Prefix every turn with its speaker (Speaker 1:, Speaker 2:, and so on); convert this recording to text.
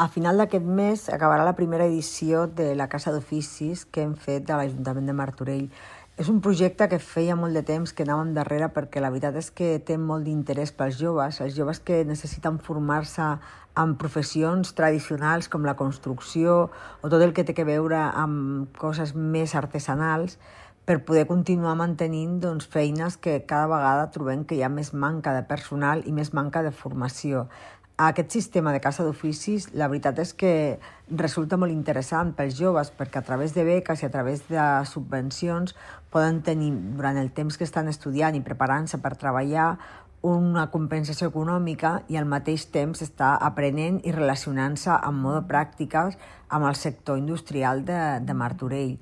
Speaker 1: A final d'aquest mes acabarà la primera edició de la Casa d'Oficis que hem fet de l'Ajuntament de Martorell. És un projecte que feia molt de temps que anàvem darrere perquè la veritat és que té molt d'interès pels joves, els joves que necessiten formar-se en professions tradicionals com la construcció o tot el que té a veure amb coses més artesanals per poder continuar mantenint feines que cada vegada trobem que hi ha més manca de personal i més manca de formació. Aquest sistema de casa d'oficis, la veritat és que resulta molt interessant pels joves perquè a través de beques i a través de subvencions poden tenir durant el temps que estan estudiant i preparant-se per treballar una compensació econòmica i al mateix temps estar aprenent i relacionant-se amb modo pràctiques amb el sector industrial de Martorell.